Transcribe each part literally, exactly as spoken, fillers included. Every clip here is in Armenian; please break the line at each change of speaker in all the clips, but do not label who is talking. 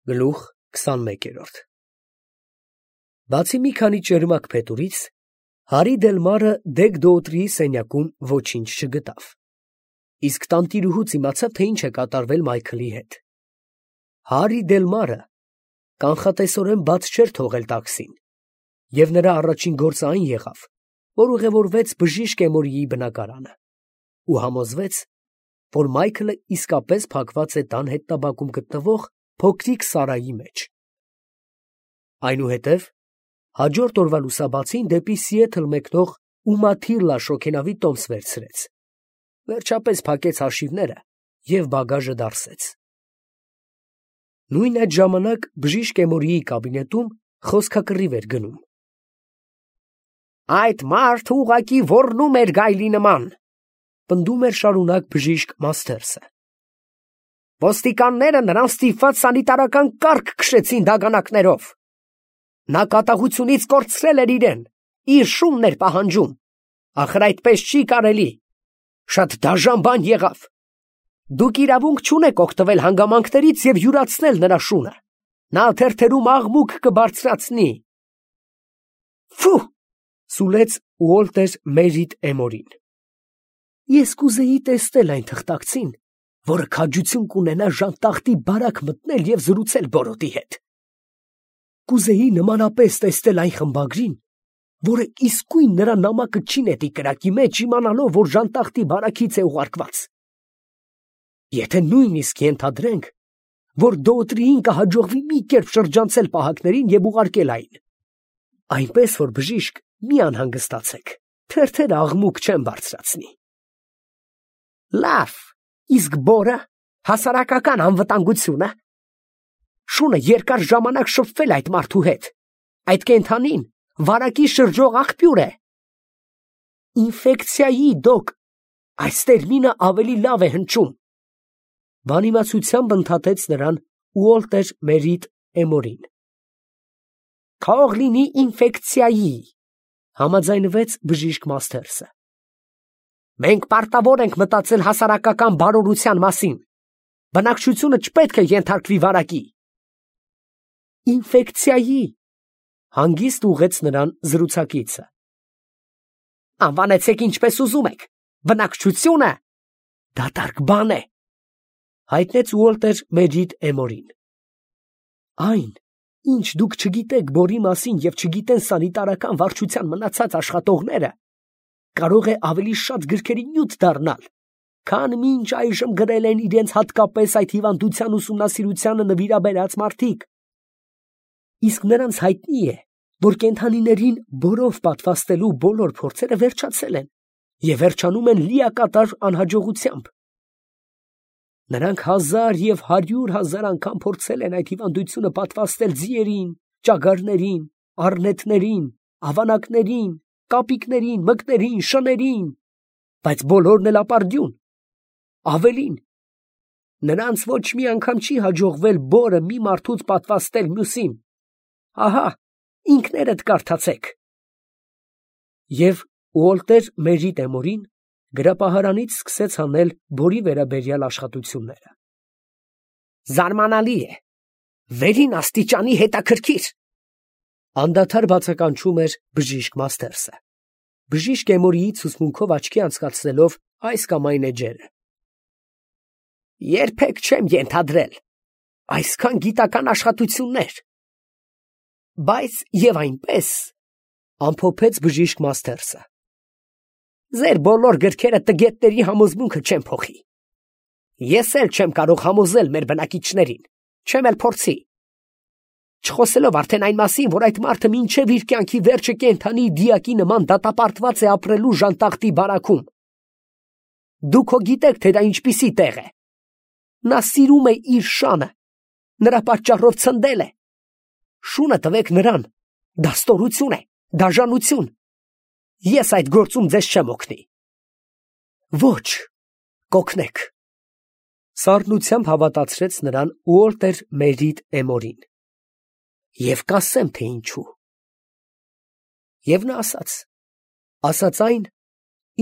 Գլուխ քսանմեկ։ Բացի մի քանի ճերմակ փետուրից, Հարի Դելմարը Դեգ-Դոուտրիի սենյակում ոչինչ չգտավ, իսկ տանտիրուհուց իմացավ, թե ինչ է կատարվել Մայքլի հետ։ Հարի Դելմարը կանխատեսորեն բաց չէր թողել տաքսին, և նրա առաջին գործը այն եղավ, որ ուղևորվեց բժիշկ Էմորիի բնակարանը ու համոզվեց, որ Մայքլը իսկապես փակված է տան հետնաբակում գտնվող փոքրիկ սարայի մեջ։ Այնուհետև հաջորդ օրվա լուսաբացին դեպի Սիեթլ մեկնող Ումաթիռլա շոգենավի տոմս վերցրեց, վերջապես փակեց հաշիվները և բագաժը դարսեց։ Նույն այդ ժամանակ բժիշկ Էմորիի կաբինետում խոսքակռիվ էր գնում։ «Այդ մարդը ուղղակի ոռնում էր գայլի նման», պնդում էր շարունակ բժիշկ Մասթերսը։ «Ոստիկանները նրան ստիպված սանիտարական կարգ քշեցին դագանակներով։ Նա կատաղությունից կորցրել էր իրեն, իր շունն էր պահանջում, ախր այդպես չի կարելի, շատ դաժան բան եղավ։ Դուք իրավունք չունեք օգտվել հանգամանքներից և յուրացնել նրա շունը, նա թերթերում աղմուկ կբարձրացնի»։ «Ֆու», սուլեց Ուոլտեր Մերիդ Էմորին, «ես կուզեի տեսնել այն թղթակցին, որը քաջություն կունենա ժանտախտի բարակ մտնել և զրուցել բորոտի հետ։ Կուզեի նմանապես տեսնել այն խմբագրին, որը իսկույն նրա նամակը չի նետի կրակի մեջ, իմանալով, որ ժանտախտի բարակից է ուղարկված։ Եթե նույնիսկ ենթադրենք, որ Դոուտրիին կհաջողվի մի կերպ շրջանցել պահակներին և ուղարկել այն, այնպես որ բժիշկ, մի անհանգստացեք, թերթերը աղմուկ չեն բարձրացնի»։ «Լավ, իսկ բորը, հասարակական անվտանգությունը, շունը երկար ժամանակ շփվել այդ մարդու հետ, այդ կենդանին վարակի շրջող աղբյուր է»։ «Ինֆեկցիայի, դոկ, այս տերմինը ավելի լավ է հնչում», բանիմացությամբ ընդհատեց նրան Ուոլտեր Մերիդ Էմորին։ «Թող լինի ինֆեկցիայի», համաձայնվեց բժիշկ Մասթերսը։ «Մենք պարտավոր ենք մտածել հասարակական բարօրության մասին, բնակչությունը չպետք է ենթարկվի վարակի»։ «Ինֆեկցիայի», հանգիստ ուղղեց նրան զրուցակիցը։ «Անվանեցեք ինչպես ուզում եք, բնակչությունը դատարկ բան է», հայտնեց Ուոլտեր Մերիդ Էմորին։ «Այն, ինչ դուք չգիտեք բորի մասին և չգիտեն սանիտարական վարչության մնացած աշխատողները, կարող է ավելի շատ գրքերի նյութ դառնալ, քան մինչ այժմ գրել են իրենց հատկապես այդ հիվանդության ուսումնասիրությանը նվիրաբերած մարդիկ։ Իսկ նրանց հայտնի է, որ կենդանիներին բորով պատվաստելու բոլոր փորձերը վերջացել են և վերջանում են լիակատար անհաջողությամբ։ Նրանք հազար և հարյուր հազար անգամ փորձել են այդ հիվանդությունը պատվաստել ձիերին, ճագարներին, առնետներին, ավանակներին, կապիկներին, մկներին, շներին, բայց բոլորն էլ ապարդյուն։ Ավելին, նրանց ոչ մի անգամ չի հաջողվել բորը մի մարդուց պատվաստել մյուսին։ Ահա, ինքներդ կարդացեք»։ Եվ Ուոլտեր Մերիդ Էմորին գրապահարանից սկսեց հանել բորի վերաբերյալ աշխատությունները։ «Զարմանալի է, վերին աստիճանի հետաքրքիր», անդադար բացականչում էր բժիշկ Մասթերսը, բժիշկ Էմորիի ցուցմունքով աչքի անցկացնելով այս կամ այն էջերը։ «Երբեք չեմ ենթադրել այսքան գիտական աշխատություններ»։ «Բայց և այնպես», ամփոփեց բժիշկ Մասթերսը, «ձեր բոլոր գրքերը տգետների համոզմունքը չեն փոխի։ Ես էլ չեմ կարող համոզել մեր բնակիչներին, չեմ էլ փորձի։ Չխոսելով արդեն այն մասին, որ այդ մարդը մինչև իր կյանքի վերջը կենդանի դիակի նման դատապարտված է ապրելու ժանտախտի բարաքում։ Դուք հո գիտեք, թե դա ինչպիսի տեղ է։ Նա սիրում է իր շանը, նրա պատճառով ցնդել է։ Շունը տվեք նրան, դա ստորություն է, դաժանություն։ Ես այդ գործում ձեզ չեմ օգնի»։ «Ոչ, կօգնեք», սառնությամբ հավատացրեց նրան Ուոլտեր Մերիդ Էմորին։ «Եվ կասեմ, թե ինչու»։ Եվ նա ասաց, ասաց այն,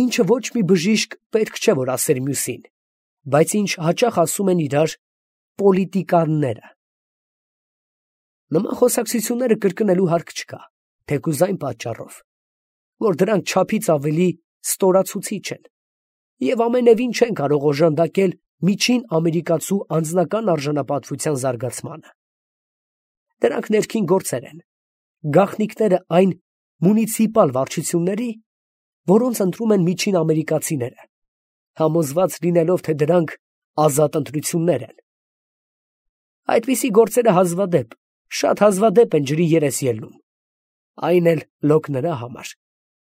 ինչը ոչ մի բժիշկ պետք չէ, որ ասեր մյուսին, բայց ինչ հաճախ ասում են իրար պոլիտիկաները։ Նման խոսակցությունները կրկնելու հարկ չկա, թեկուզ այն պատճառով, որ դրանք չափից ավելի ստորացուցիչ են և ամենևին չեն կարող օժանդակել միջին ամերիկացու անձնական արժանապատվության զարգացմանը։ Դրանք ներքին գործեր են, գաղտնիքները այն մունիցիպալ վարչությունների, որոնց ընտրում են միջին ամերիկացիները, համոզված լինելով, թե դրանք ազատ ընտրություններ են։ Այդպիսի գործերը հազվադեպ, շատ հազվադեպ են ջրի երես ելնում, այն էլ լոկ նրա համար,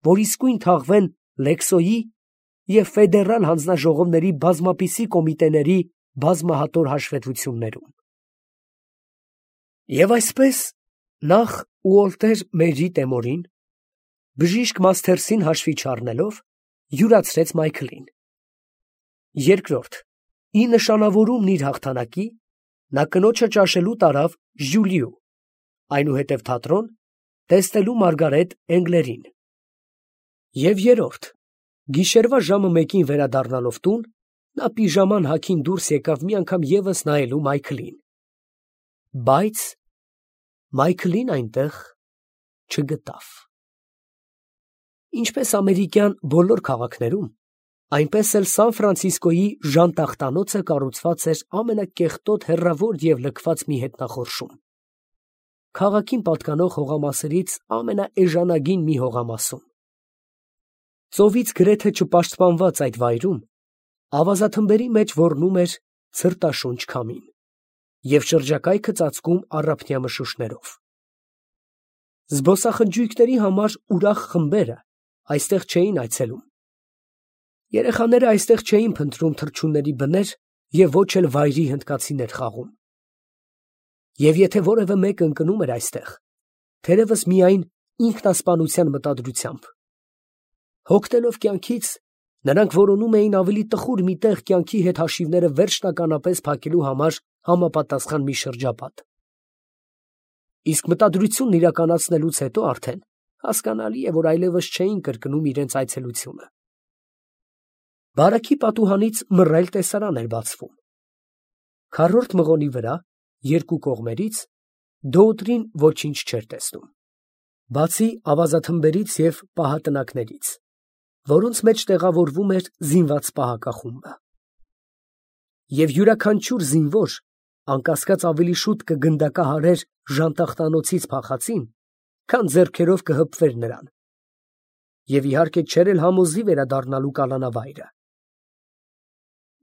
որ իսկույն թաղվեն Լեքսոյի և ֆեդերալ հանձնաժողովների բազմապիսի կոմիտեների բազմահատոր հաշվետվություններում։ Եվ այսպես, նախ Ուոլտեր Մեջի Տեմորին, բժիշկ Մասթերսին հաշվի չառնելով, յուրացրեց Մայքլին։ Երկրորդ, ի նշանավորումն իր հաղթանակի, նա կնոջը ճաշելու տարավ Ժյուլիու, այնուհետև թատրոն, տեսնելու Մարգարետ Էնգլերին։ Եվ երրորդ, գիշերվա ժամը մեկին վերադառնալով տուն, նա պիժաման հագին դուրս եկավ մի անգամ ևս նայելու Մայքլին։ Բայց Մայքլին այնտեղ չգտավ։ Ինչպես ամերիկյան բոլոր քաղաքներում, այնպես էլ Սան Ֆրանցիսկոյի ժանտախտանոցը կառուցված էր ամենակեղտոտ, հեռավոր և լքված մի հետնախորշում, քաղաքին պատկանող հողամասերից ամենաէժանագին մի հողամասում։ Ծովից գրեթե չպաշտպանված այդ վայրում ավազաթմբերի մեջ ոռնում էր ցրտաշունչ քամին և շրջակայքը ծածկում առափնյա մշուշներով։ Զբոսախնջույքների համար ուրախ խմբերը այստեղ չէին այցելում։ Երեխաները այստեղ չէին փնտրում թռչունների բներ և ոչ էլ վայրի հնդկացիներ խաղում։ Եվ եթե որևէ մեկը ընկնում էր այստեղ, թերևս միայն ինքնասպանության մտադրությամբ։ Հոգնելով կյանքից, նրանք որոնում էին ավելի տխուր մի տեղ կյանքի հետ հաշիվները վերջնականապես փակելու համար համապատասխան մի շրջապատ։ Իսկ մտադրությունն իրականացնելուց հետո արդեն հասկանալի է, որ այլևս չէին կրկնում իրենց այցելությունը։ Բարակի պատուհանից մռայլ տեսարան էր բացվում։ Քառորդ մղոնի վրա, երկու կողմերից, Դոուտրին ոչինչ չէր տեսնում, բացի ավազաթմբերից և պահատնակներից, որոնց մեջ տեղավորվում էր զինված պահակախումբը։ Եվ յուրաքանչյուր զինվոր, անկասկած ավելի շուտ կգնդակահարեր ժանտախտանոցից փախածին, քան ձեռքերով կհպվեր նրան, և իհարկե չէր էլ համոզի վերադառնալու կալանավայրը։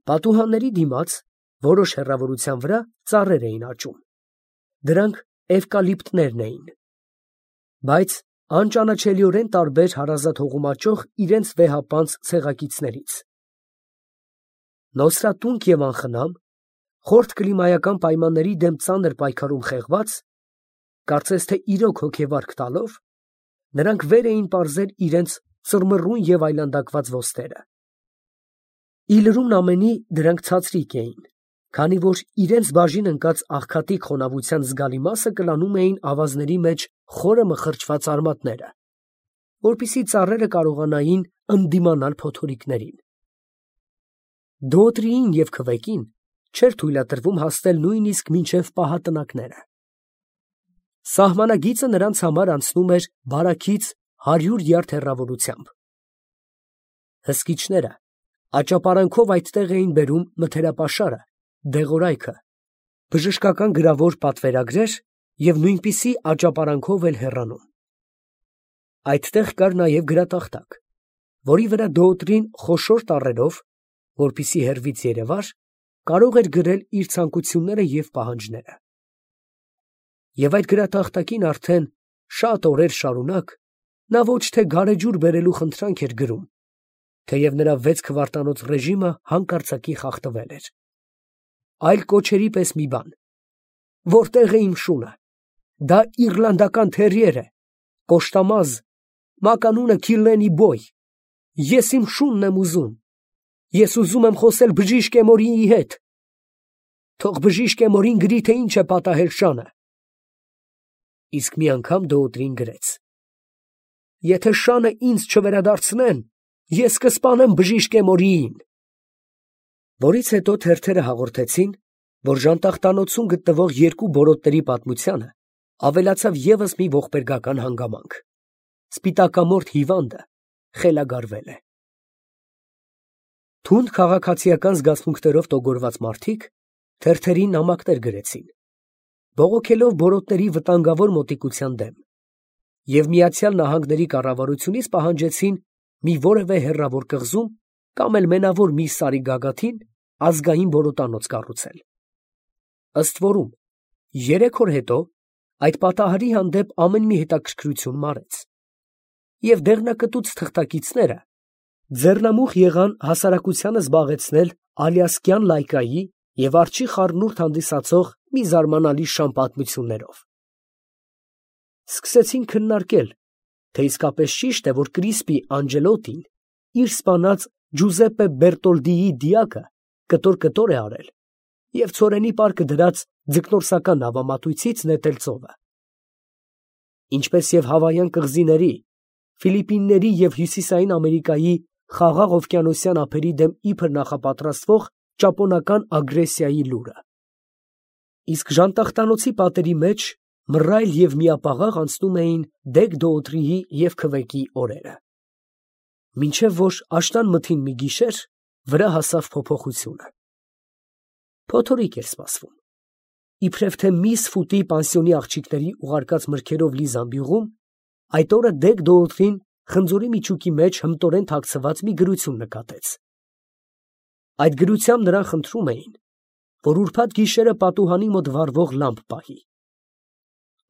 Պատուհանների դիմաց, որոշ հեռավորության վրա, ծառեր էին աճում, դրանք էվկալիպտներն էին, բայց անճանաչելիորեն տարբեր հարազատ հողում աճող իրենց վեհապանծ ցեղակիցներից։ Նոսրատունկ և անխնամ, խորթ կլիմայական պայմանների դեմ ծանր պայքարում խեղված, կարծես թե իրոք հոգեվարք տալով, նրանք վեր էին պարզել իրենց ծռմռուն և այլանդակված ոստերը։ Ի լրումն ամենի դրանք ցածրիկ էին, քանի որ իրենց բաժին ընկած աղքատիկ խոնավության զգալի մասը կլանում էին ավազների մեջ խորը մխրճված արմատները, որպեսզի ծառերը կարողանային ընդդիմանալ փոթորիկներին։ Դոուտրիին և քվեկին չէր թույլատրվում հասնել նույնիսկ մինչև պահատնակները։ Սահմանագիծը նրանց համար անցնում էր բարաքից հարյուր յարդ հեռավորությամբ։ Հսկիչները աճապարանքով այդտեղ էին բերում մթերապաշարը, դեղորայքը, բժշկական գրավոր պատվերագրեր և նույնպիսի աճապարանքով էլ հեռանում։ Այդտեղ կար նաև գրատախտակ, որի վրա Դոուտրին խոշոր տառերով, որպեսզի հեռվից երևար, կարող էր գրել իր ցանկությունները և պահանջները։ Եվ այդ գրատախտակին արդեն շատ օրեր շարունակ նա ոչ թե գարեջուր բերելու խնդրանք էր գրում, թեև նրա վեց քվարտանոց ռեժիմը հանկարծակի խախտվել էր, այլ կոչերի պես մի բան. «Որտե՞ղ է իմ շունը, դա իռլանդական թերիեր է, կոշտամազ, մականունը Քիլլենի բոյ, ես իմ շունն եմ ուզում, ես ուզում եմ խոսել բժիշկ Էմորիի հետ, թող բժիշկ Էմորին գրի, թե ինչ է պատահել շանը»։ Իսկ մի անգամ Դոուտրին գրեց. «Եթե շանը ինձ չվերադարձնեն, ես կսպանեմ բժիշկ Էմորիին», որից հետո թերթերը հաղորդեցին, որ ժանտախտանոցում գտնվող երկու բորոտների պատմությանը Ավելացավ ևս մի ողբերգական հանգամանք. սպիտակամորթ հիվանդը խելագարվել է։ Թունդ քաղաքացիական զգացմունքներով տոգորված մարդիկ թերթերին նամակներ գրեցին, բողոքելով բորոտների վտանգավոր մոտիկության դեմ, և Միացյալ Նահանգների կառավարությունից պահանջեցին մի որևէ հեռավոր կղզում կամ էլ մենավոր մի սարի գագաթին ազգային բորոտանոց կառուցել։ Ըստ որում, երեք օր հետո այդ պատահարի հանդեպ ամեն մի հետաքրքրություն մարեց, և դեղնակտուց թղթակիցները ձեռնամուխ եղան հասարակությանը զբաղեցնել ալյասկյան լայկայի և արջի խառնուրդ հանդիսացող մի զարմանալի շան պատմություններով։ Սկսեցին քննարկել, թե իսկապես ճիշտ է, որ Կրիսպի Անջելոտին իր սպանած Ջուզեպպե Բերտոլդիի դիակը կտոր֊կտոր է արել և ցորենի պարկը դրած ձկնորսական նավամատույցից նետել ծովը։ Ինչպես և Հավայան կղզիների, Ֆիլիպինների և Հյուսիսային Ամերիկայի Խաղաղ օվկիանոսյան ափերի դեմ իբր նախապատրաստվող ճապոնական ագրեսիայի լուրը։ Իսկ ժանտախտանոցի պատերի մեջ մռայլ և միապաղաղ անցնում էին Դեգ֊Դոուտրիի և Քվեկի օրերը։ Մինչև որ աշնան մթին մի գիշեր վրա հասավ փոփոխությունը։ Փոթորիկ էր սպասվում։ Իբրև թե միս Ֆուտի պանսիոնի աղջիկների ուղարկած մրգերով լի զամբյուղում այդ օրը Դեգ-Դոուտրին խնձորի միջուկի մեջ հմտորեն թաքցված մի գրություն նկատեց։ Այդ գրությամբ նրան խնդրում էին, որ ուրբաթ գիշերը պատուհանի մոտ վառվող լամպ պահի։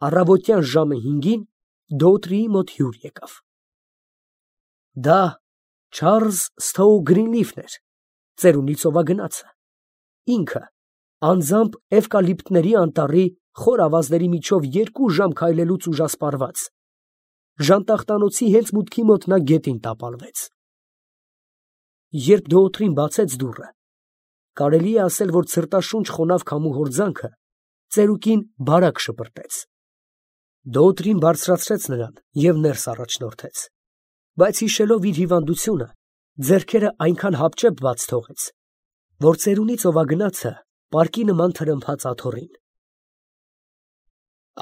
Առավոտյան ժամը հինգին Դոուտրիի մոտ հյուր եկավ։ Դա Չարլզ Սթոու Գրինլիֆն էր, ծերունի ծովագնացը, ինքը անձամբ էվկալիպտների անտառի խոր ավազների միջով երկու ժամ քայլելուց ուժասպառված, ժանտախտանոցի հենց մուտքի մոտ նա գետին տապալվեց։ Երբ Դոուտրին բացեց դուռը, կարելի է ասել, որ ցրտաշունչ խոնավ քամու հորձանքը ծերուկին բարակ շպրտեց։ Դոուտրին բարձրացրեց նրան և ներս առաջնորդեց, բայց հիշելով իր հիվանդությունը, ձեռքերը այնքան հապճեպ բաց թողեց, որ ծերունի ծովագնացը պարկի նման թրմփաց աթոռին։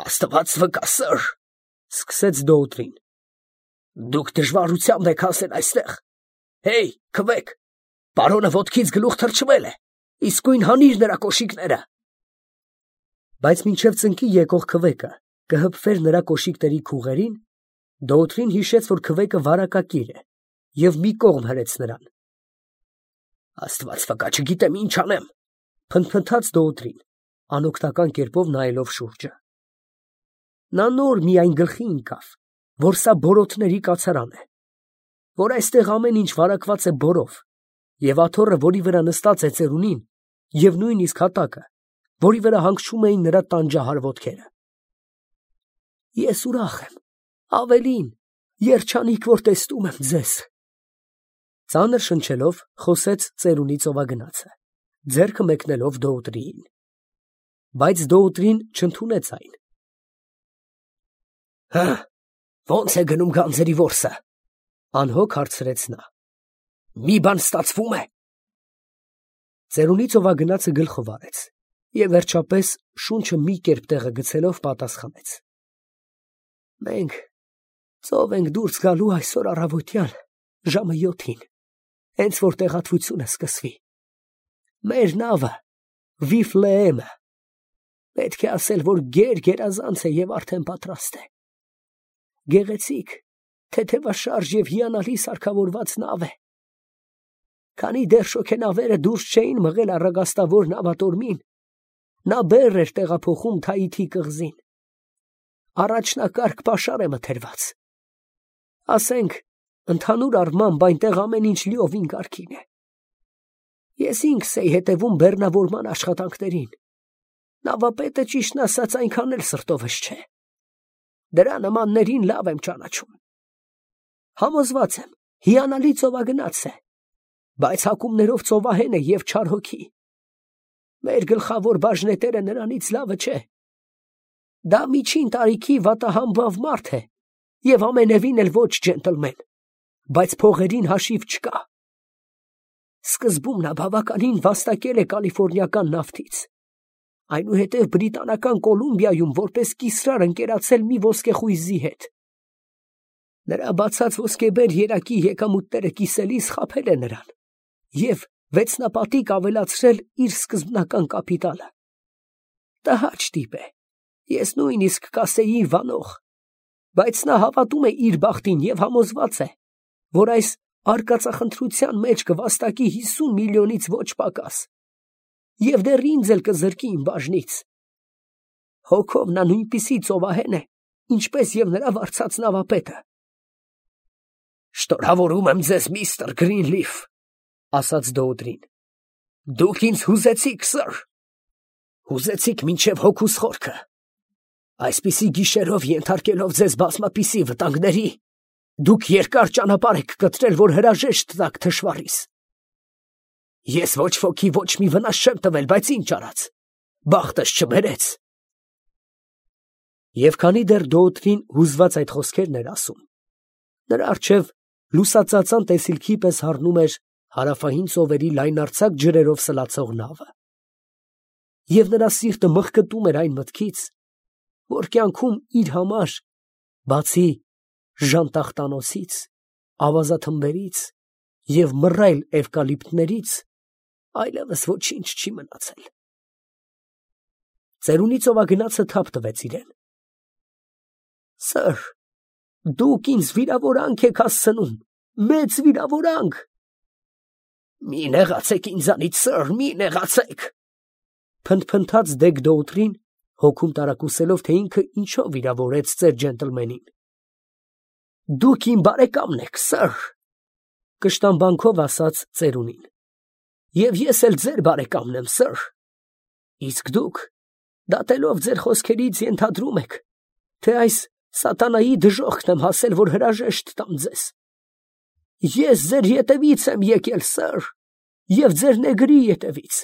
«Աստված վկա, սըր, ֊ սկսեց Դոուտրին, ֊ դուք դժվարությամբ եք հասել այստեղ։ Հեյ, Քվեք, պարոնը ոտքից գլուխ թռչվել է, իսկույն հանիր նրա կոշիկները»։ Բայց մինչև ծնկի եկող Քվեկը կհպվեր նրա կոշիկների քուղերին, Դոուտրին հիշեց, որ Քվեկը վարակակիր է, և մի կողմ հրեց նրան։ «Աստված վկա, չգիտեմ ինչ անեմ, ֊ փնթփնթաց Դոուտրին, անօգնական կերպով նայելով շուրջը։ Նա նոր միայն գլխի ընկավ, որ սա բորոտների կացարան է, որ այստեղ ամեն ինչ վարակված է բորով, և աթոռը, որի վրա նստած է ծերունին, և նույնիսկ հատակը, որի վրա հանգչում էին նրա տանջահար ոտքերը։ Ես ուրախ եմ, ավելին, երջանիկ, որ տեսնում եմ ձեզ, ֊ ծանր շնչելով խոսեց ծերունի ծովագնացը, ձեռքը մեկնելով Դոուտրիին։ Բայց Դոուտրին չընդունեց այն։ Հը, ո՞նց է գնում գանձերի որսը, ֊ անհոգ հարցրեց նա։ Մի բան ստացվում է։ Ծերունի ծովագնացը գլխով արեց և վերջապես շունչը մի կերպ տեղը գցելով պատասխանեց. Մենք ծով ենք դուրս գալու այսօր առավոտյան ժամը յոթին, հենց որ տեղատվությունը սկսվի։ Մեր նավը Վիֆլեեմը, պետք է ասել, որ գեր-գերազանց է և արդեն պատրաստ է։ Գեղեցիկ, թեթևաշարժ և հիանալի սարքավորված նավ է։ Քանի դեռ շոգենավերը դուրս չէին մղել առագաստավոր նավատորմին, նա բեռ էր տեղափոխում Թայիթի կղզին։ Առաջնակարգ պաշար է մթերված։ Ասենք, ընդհանուր առմամբ այնտեղ ամեն ինչ լիովին կարգին է։ Ես ինքս էի հետևում բեռնավորման աշխատանքներին։ Նավապետը, ճիշտն ասած, այնքան էլ սրտովս չէ։ Դրա նմաններին լավ եմ ճանաչում։ Համոզված եմ, հիանալի ծովագնաց է, բայց հակումներով ծովահեն է և չար հոգի։ Մեր գլխավոր բաժնետերը նրանից լավը չէ։ Դա միջին տարիքի վատահամբավ մարդ է և ամենևին էլ ոչ ջենտլմեն, բայց փողերին հաշիվ չկա։ Սկզբում նա բավականին վաստակել է կալիֆոռնիական նավթից, այնուհետև Բրիտանական Կոլումբիայում որպես կիսրար ընկերացել մի ոսկեխույզի հետ։ Նրա բացած ոսկեբեր երակի եկամուտները կիսելիս խաբել է նրան և վեցնապատիկ ավելացրել իր սկզբնական կապիտալը։ Տհաճ տիպ է, ես նույնիսկ կասեի վանող, բայց նա հավատում է իր բախտին և համոզված է, որ այս արկածախնդրության մեջ կվաստակի հիսուն միլիոնից ոչ պակաս, և դեռ ինձ էլ կզրկի իմ բաժնից։ Հոգով նա նույնպիսի ծովահեն է, ինչպես և նրա վարձած նավապետը։ «Շնորհավորում եմ ձեզ, միստր Գրինլիֆ», ասաց Դոուտրին։ «Դուք ինձ հուզեցիք, սըր, հուզեցիք մինչև հոգուս խորքը, այսպիսի գիշերով ենթարկելով ձեզ բազմապիսի վտանգների, դուք երկար ճանապարհ եք կտրել, որ հրաժեշտ տաք թշվառիս։ Ես ոչ ոքի ոչ մի վնաս չեմ տվել, բայց ինչ արած, բախտս չբերեց»։ Եվ քանի դեռ Դոուտրին հուզված այդ խոսքերն էր ասում, նրա առջև լուսածածան տեսիլքի պես հառնում էր հարավային ծովերի լայնարձակ ջրերով սլացող նավը, և նրա սիրտը մղկտում էր այն մտքից, որ կյանքում իր համար, բացի ժանտախտանոցից, ավազաթմբերից և մռայլ էվկալիպտներից, այլևս ոչինչ չի մնացել։ Ծերունի ծովագնացը թափ տվեց իրեն։ «Սըր, դուք ինձ վիրավորանք եք հասցնում, մեծ վիրավորանք»։ «Մի նեղացեք ինձանից, սըր, մի նեղացեք», փնթփնթաց Դեգ Դոուտրին, հոգում տարակուսելով, թե ինքը ինչով վիրավորեց ծեր ջենտլմենին։ «Դուք իմ բարեկամն եք, սըր», կշտամբանքով ասաց ծերունին, «և ես էլ ձեր բարեկամն եմ, սըր, իսկ դուք, դատելով ձեր խոսքերից, ենթադրում եք, թե այս սատանայի դժոխքն եմ հասել, որ հրաժեշտ տամ ձեզ։ Ես ձեր ետևից եմ եկել, սըր, և ձեր նեգրի ետևից։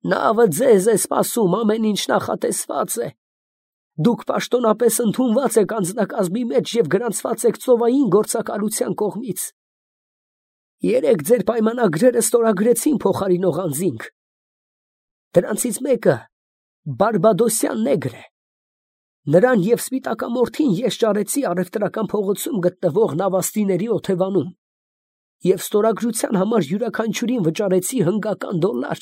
Նավը ձեզ է սպասում, ամեն ինչ նախատեսված է։ Դուք պաշտոնապես ընդունված եք անձնակազմի մեջ և գրանցված եք ծովային գործակալության կողմից։ Երեկ ձեր պայմանագրերը ստորագրեցին փոխարինող անձինք։ Դրանցից մեկը բարբադոսյան նեգր է։ Նրան և սպիտակամորթին ես ճարեցի առևտրական փողոցում գտնվող նավաստիների օթևանում և ստորագրության համար յուրաքանչյուրին վճարեցի հնգական դոլար։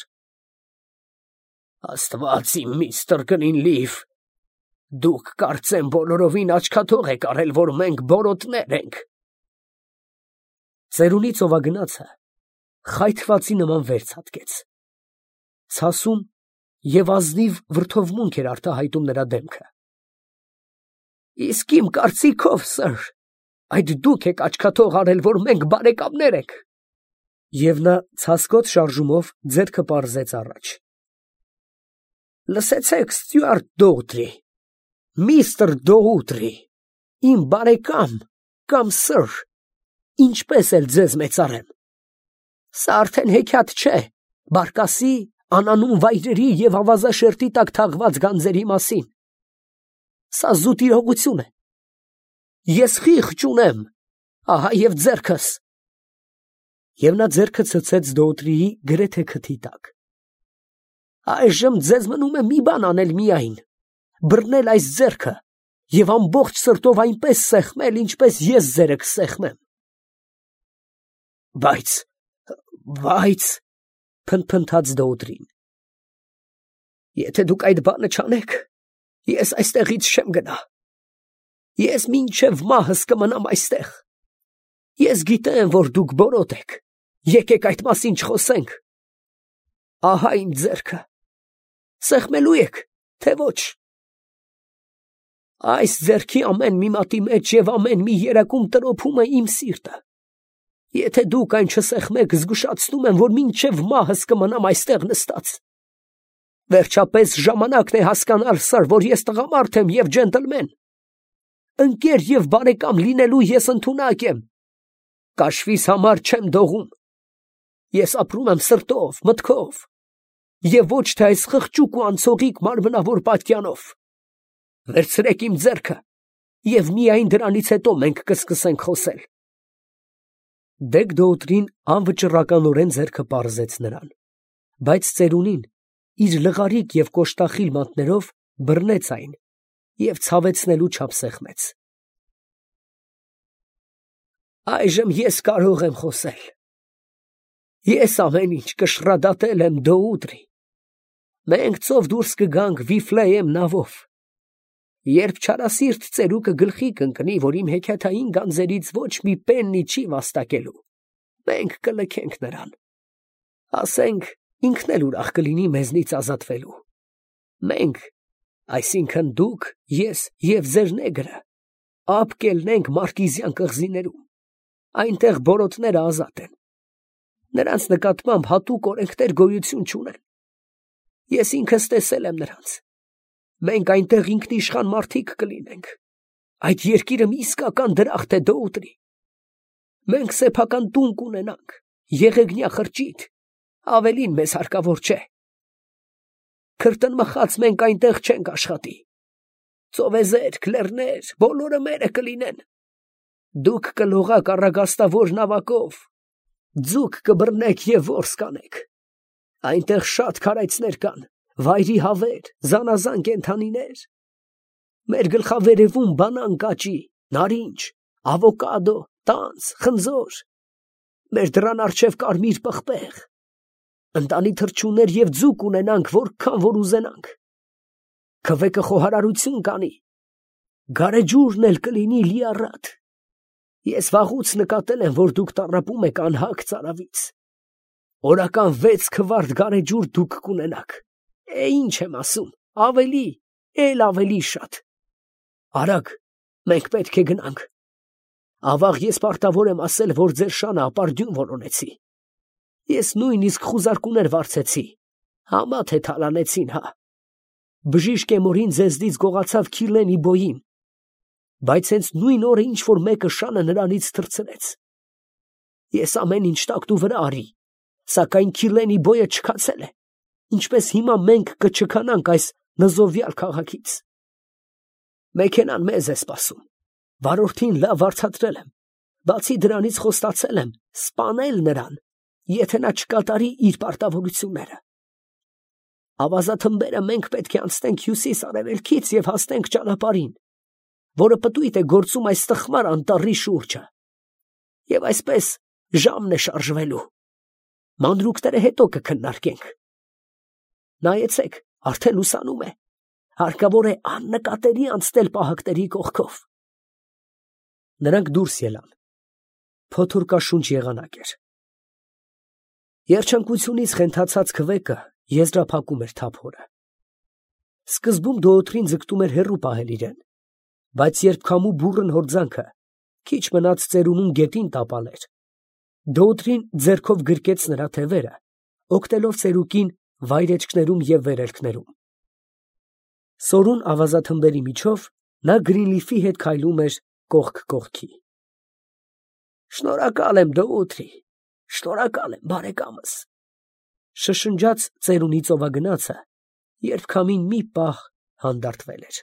Աստված իմ, միստր Գրինլիֆ, դուք կարծեմ բոլորովին աչքաթող եք արել, որ մենք բորոտներ ենք։ Ծերունի ծովագնացը խայթվածի նման վեր ցատկեց։ Ցասում և ազնիվ վրդովմունք էր արտահայտում նրա դեմքը։ Իսկ իմ կարծիքով, սըր, այդ դուք եք աչքաթող արել, որ մենք բարեկամներ ենք։ Եվ նա ցասկոտ շարժումով ձեռքը պարզեց առաջ։ Լսեցեք, Ստյուարտ Դոուտրի, միստր Դոուտրի, իմ բարեկամ կամ սըր, ինչպես էլ ձեզ մեծարեմ։ Սա արդեն հեքիաթ չէ բարկասի, անանուն վայրերի և ավազաշերտի տակ թաղված գանձերի մասին։ Սա զուտ իրողություն է։ Ես խիղճ ունեմ, ահա և ձեռքս։ Եվ նա ձեռքը ցցեց Դոուտրիի գրեթե քթի տակ։ Այժմ ձեզ մնում է մի բան անել միայն, բռնել այս ձեռքը և ամբողջ սրտով այնպես սեղմել, ինչպես ես ձերը կսեղմեմ։ Բայց, բայց, փնթփնթաց Դոուտրին, եթե դուք այդ բանը չանեք, ես այստեղից չեմ գնա։ Ես մինչև մահս կմնամ այստեղ։ Ես գիտեմ, որ դուք բորոտ եք, եկեք այդ մասին չխոսենք։ Ահա իմ ձեռքը, սեղմելու եք, թե ոչ։ Այս ձեռքի ամեն մի մատի մեջ և ամեն մի երակում տրոփում է իմ սիրտը։ Եթե դուք այն չսեղմեք, զգուշացնում եմ, որ մինչև մահս կմնամ այստեղ նստած։ Վերջապես ժամանակն է հասկանալ, սըր, որ ես տղամարդ եմ և ջենտլմեն։ Ընկեր և բարեկամ լինելու ես ընդունակ եմ։ Կաշվիս համար չեմ դողում։ Ես ապրում եմ սրտով, մտքով, և ոչ թե այս խղճուկ ու անցողիկ մարմնավոր պատյանով։ Վերցրեք իմ ձեռքը, և միայն դրանից հետո մենք կսկսենք խոսել։ Դեգ Դոուտրին անվճռականորեն ձեռքը պարզեց նրան, բայց ծերունին, իր լղարիկ և կոշտախիլ մատներով բռնեց այն և ցավեցնելու չափ սեղմեց։ Այժմ ես կարող եմ խոսել. ես ամեն ինչ կշռադատել եմ Դոուտրի. մենք ծով դուրս կգանք Վիֆլեյեմ նավով. երբ չարասիրտ ծերուկը գլխի կընկնի, որ իմ հեքիաթային գանձերից ոչ մի պեննի չի վաստակելու, մենք կլքենք նրան, ասենք, ինքն էլ ուրախ կլինի մեզնից ազատվելու։ Մենք, այսինքն դուք, ես և ձեր նեգրը, ափ կելնենք Մարկիզյան կղզիներում, այնտեղ բորոտները ազատ են, նրանց նկատմամբ հատուկ օրենքներ գոյություն չունեն։ Ես ինքս տեսել եմ նրանց, մենք այնտեղ ինքնիշխան մարդիկ կլինենք, այդ երկիրը մի իսկական դրախտ է Դոուտրի, մենք սեփական տուն կունենանք, եղեգնյա խրճիթ, ավելին մեզ հարկավոր չէ։ Քրտնմխած մենք այնտեղ չենք աշխատի, ծովեզերք, լեռներ, բոլորը մերը կլինեն, դուք կլողաք առագաստավոր նավակով, ձուկ կբռնեք և որս կանեք, այնտեղ շատ քարայծներ կան, վայրի հավեր, զանազան կենդանիներ, մեր գլխավերևում բանան կաճի, նարինջ, ավոկադո, տանձ, խնձոր, մեր դռան առջև կարմիր պղպեղ, ընտանի թռչուններ և ձուկ ունենանք, որքան որ ուզենանք, քվեկը խոհարարություն կանի, գարեջուրն էլ կլինի լիառատ, ես վաղուց նկատել եմ, որ դուք տառապում եք անհագ ծարավից, օրական վեց քվարդ գարեջուր դուք կունենաք, է ինչ եմ ասում, ավելի, էլ ավելի շատ, արագ, մենք պետք է գնանք, ավաղ ես պարտավոր եմ ասել, որ ձեր շանը ապարդյուն որոնեցի, ես նույնիսկ խուզարկուներ վարձեցի, համա թե թալանեցին, հա, բժիշկ Էմորին ձեզնից գողացավ Քիրլենի բոյին, բայց հենց նույն օրը ինչ-որ մեկը շանը նրանից թռցրեց, ես ամեն ինչ տակտու վրա արի, սակայն Քիրլենի բոյը չքացել է, ինչպես հիմա մենք կչքանանք այս նզովյալ քաղաքից։ Մեքենան մեզ է սպասում, վարորդին լավ վարձատրել եմ, բացի դրանից խոստացել եմ սպանել նրան, եթե նա չկատարի իր պարտավորությունները։ Ավազաթմբերը մենք պետք է անցնենք հյուսիս֊արևելքից և հասնենք ճանապարհին, որը պտույտ է գործում այս տխմար անտառի շուրջը, և այսպես ժամն է շարժվելու, մանրուքները հետո կքննարկենք։ Նայեցեք, արդեն լուսանում է, հարկավոր է աննկատելի անցնել պահակների կողքով։ Նրանք դուրս ելան, փոթորկաշունչ եղանակ էր։ Երջանկությունից խենթացած քվեկը եզրափակում էր թափորը։ Սկզբում Դոոթրին ձգտում էր հեռու պահել իրեն, բայց երբ քամու բուռն հորձանքը քիչ մնաց ծերունուն գետին տապալեր, Դոոթրին ձեռքով գրկեց նրա թևերը, օգնելով ծերուկին վայրեջքներում և վերելքներում։ Սորուն ավազաթմբերի միջով նա Գրինլիֆի հետ քայլում էր կողք կողքի։ Շնորհակալ եմ, Դոութրի, շնորհակալ եմ, բարեկամս, շշնջաց ծերունի ծովագնացը, երբ քամին մի պահ հանդարտվել էր։